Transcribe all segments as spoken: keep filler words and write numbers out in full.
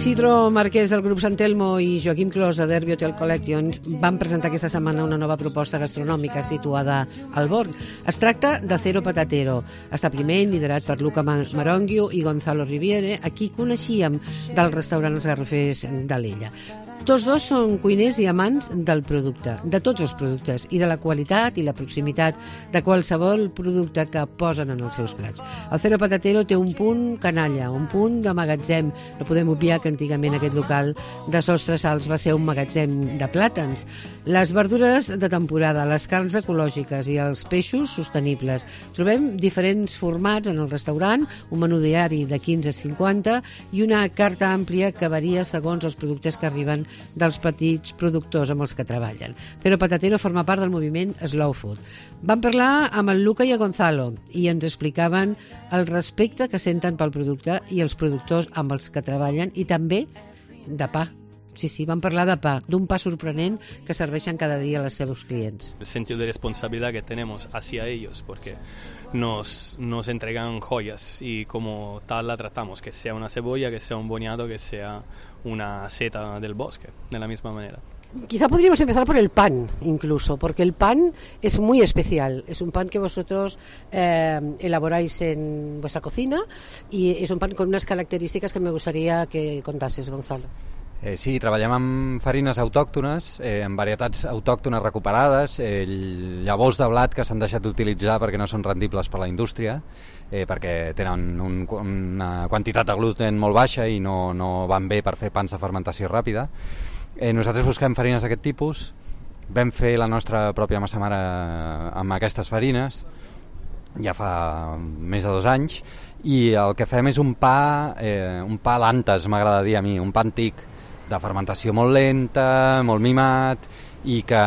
Isidro Marquès del grup Sant Telmo i Joaquim Clos de Derby Hotel Collections van presentar aquesta setmana una nova proposta gastronòmica situada al Born. Es tracta de Cero Patatero, establiment liderat per Luca Maronghio i Gonzalo Riviere, a qui coneixíem del restaurant Els Garrofers d'Alella. Tots dos són cuiners i amants del producte, de tots els productes, i de la qualitat i la proximitat de qualsevol producte que posen en els seus plats. El Cero Patatero té un punt canalla, un punt de magatzem. No podem obviar que antigament aquest local de Sostres Alts va ser un magatzem de plàtans. Les verdures de temporada, les carns ecològiques i els peixos sostenibles. Trobem diferents formats en el restaurant, un menú diari de quinze a cinquanta i una carta àmplia que varia segons els productes que arriben dels petits productors amb els que treballen. Cero Patatero forma part del moviment Slow Food. Vam parlar amb el Luca i el Gonzalo i ens explicaven el respecte que senten pel producte i els productors amb els que treballen, i també de pa. Sí, sí, vam parlar de pa, d'un pa sorprenent que serveixen cada dia als seus clients. El sentido de responsabilidad que tenemos hacia ellos, porque nos, nos entregan joyas y como tal la tratamos, que sea una cebolla, que sea un boniato, que sea una seta del bosque, de la misma manera. Quizá podríamos empezar por el pan, incluso, porque el pan es muy especial. Es un pan que vosotros eh, elaboráis en vuestra cocina y es un pan con unas características que me gustaría que contases, Gonzalo. Eh, sí, treballem amb farines autòctones, eh, amb varietats autòctones recuperades, eh, llavors de blat que s'han deixat d'utilitzar perquè no són rendibles per la indústria, eh, perquè tenen un, una quantitat de gluten molt baixa i no, no van bé per fer pans de fermentació ràpida. Eh, nosaltres busquem farines d'aquest tipus, vam fer la nostra pròpia massa mare amb aquestes farines, ja fa més de dos anys, i el que fem és un pa, eh, un pa lantes, m'agrada dir a mi, un pa antic, de fermentació molt lenta, molt mimat, i que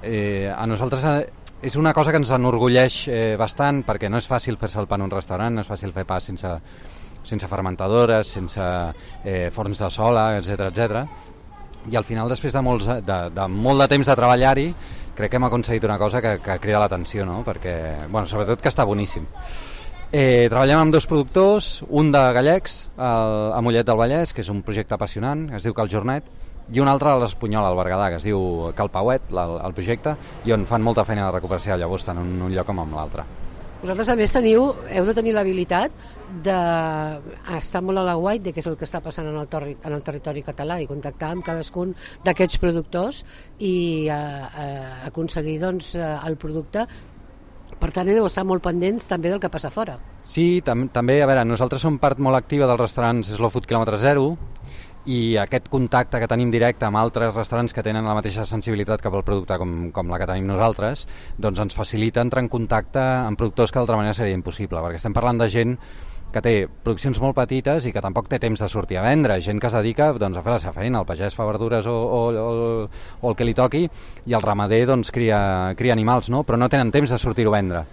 eh, a nosaltres és una cosa que ens enorgulleix eh, bastant, perquè no és fàcil fer-se el pa en un restaurant, no és fàcil fer pa sense, sense fermentadores, sense eh, forns de sola, etcètera, etcètera. I al final, després de, molts, de, de molt de temps de treballar-hi, crec que hem aconseguit una cosa que, que crida l'atenció, no? Perquè, bueno, sobretot que està boníssim. Eh, treballem amb dos productors, un de gallecs, el, a Mollet del Vallès, que és un projecte apassionant, que es diu Cal Jornet, i un altre a l'Espanyol, al Berguedà, que es diu Cal Pauet, el, el projecte, i on fan molta feina de recuperació de llavors, tant en un lloc com en l'altre. Vosaltres, a més, teniu, heu de tenir l'habilitat d'estar molt a l'aguait de què és el que està passant en el, torri, en el territori català i contactar amb cadascun d'aquests productors i eh, eh, aconseguir doncs, el producte. Per tant, heu d'estar molt pendents també del que passa fora. Sí, tam també, a veure, nosaltres som part molt activa dels restaurants Slow Food Kilòmetre Zero, i aquest contacte que tenim directe amb altres restaurants que tenen la mateixa sensibilitat cap al producte com, com la que tenim nosaltres, doncs ens facilita entrar en contacte amb productors que d'altra manera seria impossible, perquè estem parlant de gent que té produccions molt petites i que tampoc té temps de sortir a vendre, gent que es dedica doncs, a fer la seva feina, el pagès fa verdures o, o, o, o el que li toqui, i el ramader doncs, cria, cria animals, no? Però no tenen temps de sortir-ho a vendre.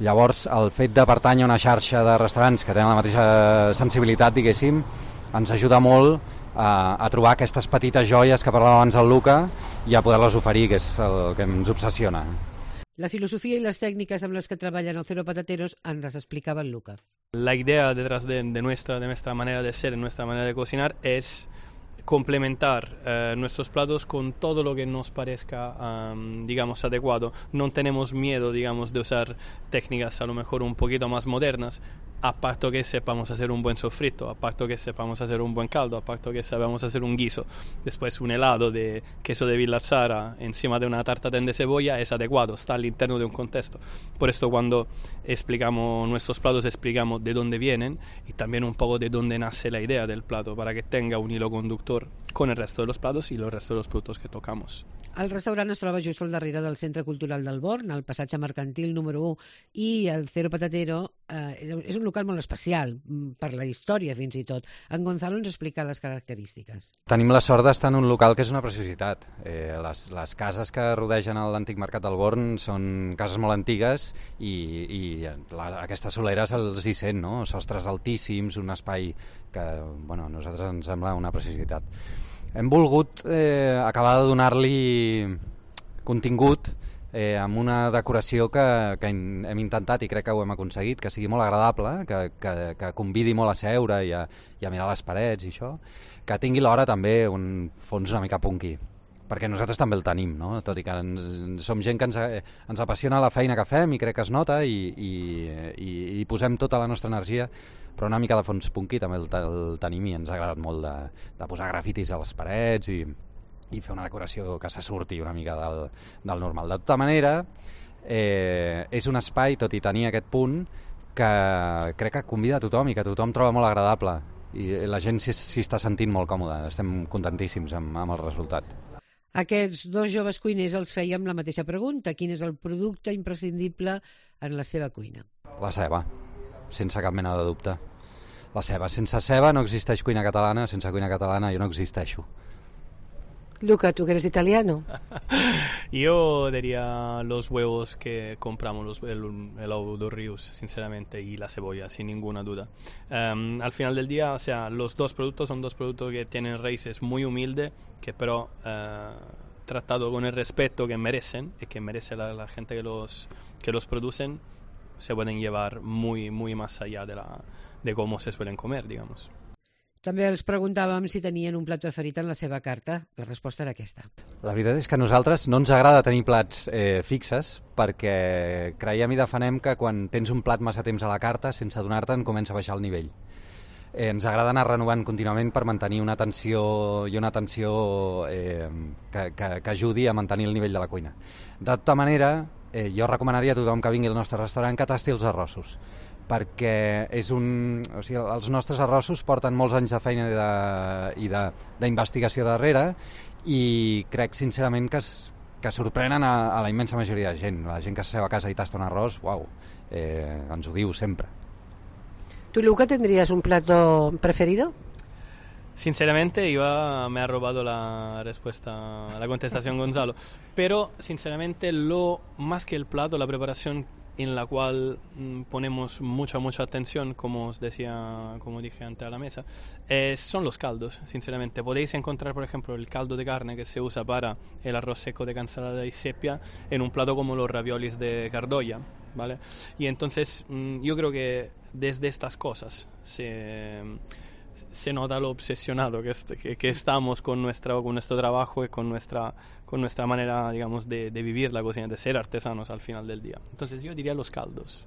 Llavors, el fet de pertànyer a una xarxa de restaurants que tenen la mateixa sensibilitat, diguéssim, ens ajuda molt a, a trobar aquestes petites joies que parlava abans el Luca i a poder-les oferir, que és el que ens obsessiona. La filosofía y las técnicas en las que trabajan el Cero Patateros ens las explicaba el Luca. La idea detrás de, de, nuestra, de nuestra manera de ser, de nuestra manera de cocinar, es complementar eh, nuestros platos con todo lo que nos parezca, um, digamos, adecuado. No tenemos miedo, digamos, de usar técnicas a lo mejor un poquito más modernas, a parto que sepamos hacer un buen sofrito, a parto que sepamos hacer un buen caldo, a parto que sepamos hacer un guiso. Después un helado de queso de Villazzara encima de una tarta de cebolla es adecuado, está al interno de un contexto. Por esto cuando explicamos nuestros platos explicamos de dónde vienen y también un poco de dónde nace la idea del plato, para que tenga un hilo conductor con el resto de los platos y los restos de los productos que tocamos. El restaurant es troba just al darrere del Centre Cultural del Born, al passatge mercantil número u, i el Cero Patatero eh, és un local molt especial, per la història fins i tot. En Gonzalo ens explica les característiques. Tenim la sort d'estar en un local que és una preciositat. Eh, les, les cases que rodegen l'antic mercat del Born són cases molt antigues i, i la, aquesta solera se'ls hi sent, no? Sostres altíssims, un espai que bueno, a nosaltres ens sembla una preciositat. Hem volgut eh, acabar de donar-li contingut eh, amb una decoració que, que hem intentat i crec que ho hem aconseguit, que sigui molt agradable, que, que, que convidi molt a seure i a, i a mirar les parets i això, que tingui l'hora també un fons una mica punky, perquè nosaltres també el tenim, no? Tot i que ens, som gent que ens, ens apassiona la feina que fem i crec que es nota i, i, i, i posem tota la nostra energia, però una mica de fons punky també el, el tenim i ens ha agradat molt de, de posar grafitis a les parets i, i fer una decoració que se surti una mica del, del normal. De tota manera, eh, és un espai, tot i tenir aquest punt, que crec que convida a tothom i que tothom troba molt agradable i la gent s'hi, s'hi està sentint molt còmoda. Estem contentíssims amb, amb el resultat. Aquests dos joves cuiners els fèiem la mateixa pregunta. Quin és el producte imprescindible en la seva cuina? La ceba, sense cap mena de dubte. La ceba. Sense ceba no existeix cuina catalana, sense cuina catalana jo no existeixo. Luca, tú que eres italiano. Yo diría los huevos que compramos, los, el, el ovo de Rius, sinceramente, y la cebolla, sin ninguna duda. Um, al final del día, o sea, los dos productos son dos productos que tienen raíces muy humildes, que pero uh, tratado con el respeto que merecen y que merece la, la gente que los, que los producen, se pueden llevar muy, muy más allá de, la, de cómo se suelen comer, digamos. També els preguntàvem si tenien un plat preferit en la seva carta. La resposta era aquesta. La veritat és que a nosaltres no ens agrada tenir plats eh, fixes perquè creiem i defenem que quan tens un plat massa temps a la carta, sense adonar-te'n, comença a baixar el nivell. Eh, ens agrada anar renovant contínuament per mantenir una atenció i una atenció eh, que, que, que ajudi a mantenir el nivell de la cuina. De tota manera, eh, jo recomanaria a tothom que vingui al nostre restaurant que tasti els arrossos, perquè és un, o sigui, els nostres arrossos porten molts anys de feina i de, i de, d'investigació darrere i crec sincerament que, es, que sorprenen a, a la immensa majoria de gent. La gent que s'asseu a casa i tasta un arròs, uau, eh, ens ho diu sempre. ¿Tú, Luca, tendrías un plato preferido? Sinceramente, iba, me ha robado la respuesta, la contestación Gonzalo, pero sinceramente lo más que el plato, la preparación en la cual mm, ponemos mucha, mucha atención, como os decía, como dije antes a la mesa, eh, son los caldos, sinceramente. Podéis encontrar, por ejemplo, el caldo de carne que se usa para el arroz seco de cansalada y sepia en un plato como los raviolis de Cardoya, ¿vale? Y entonces mm, yo creo que desde estas cosas se... se nota lo obsesionado que, que, que estamos con, nuestra, con nuestro trabajo y con nuestra, con nuestra manera, digamos, de, de vivir la cocina, de ser artesanos al final del día. Entonces yo diría los caldos.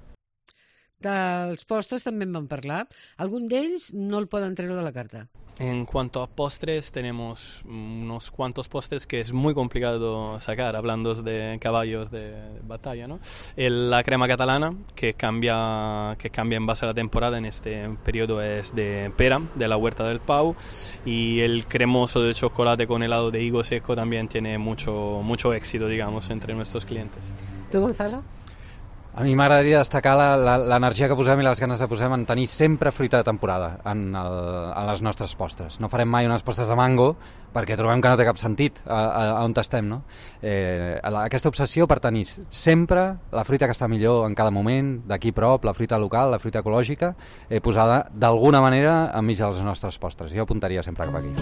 Dels postres també en vam parlar. Algun d'ells no el poden treure de la carta. En cuanto a postres, tenemos unos cuantos postres que es muy complicado sacar, hablando de caballos de batalla, ¿no? El, la crema catalana, que cambia, que cambia en base a la temporada, en este periodo es de pera, de la Huerta del Pau, y el cremoso de chocolate con helado de higo seco también tiene mucho, mucho éxito, digamos, entre nuestros clientes. ¿Tú, Gonzalo? A mi m'agradaria destacar l'energia que posem i les ganes de posem en tenir sempre fruita de temporada en, el, en les nostres postres. No farem mai unes postres de mango perquè trobem que no té cap sentit a, a, a on estem, no? Eh, aquesta obsessió per tenir sempre la fruita que està millor en cada moment, d'aquí prop, la fruita local, la fruita ecològica, eh, posada d'alguna manera enmig de les nostres postres. Jo apuntaria sempre cap aquí.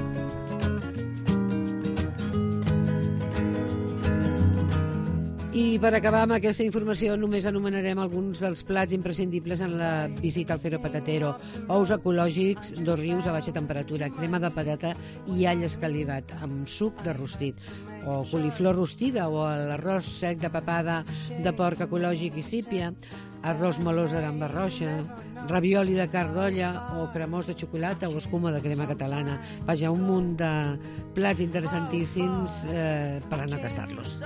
I per acabar amb aquesta informació només anomenarem alguns dels plats imprescindibles en la visita al Cero Patatero. Ous ecològics, dos rius a baixa temperatura, crema de patata i all escalivat amb suc de rostit, o coliflor rostida o l'arròs sec de papada de porc ecològic i sípia, arròs melós de gamba roja, ravioli de carn d'olla o cremós de xocolata o escuma de crema catalana. Vaja, un munt de plats interessantíssims eh, per anar a tastar-los.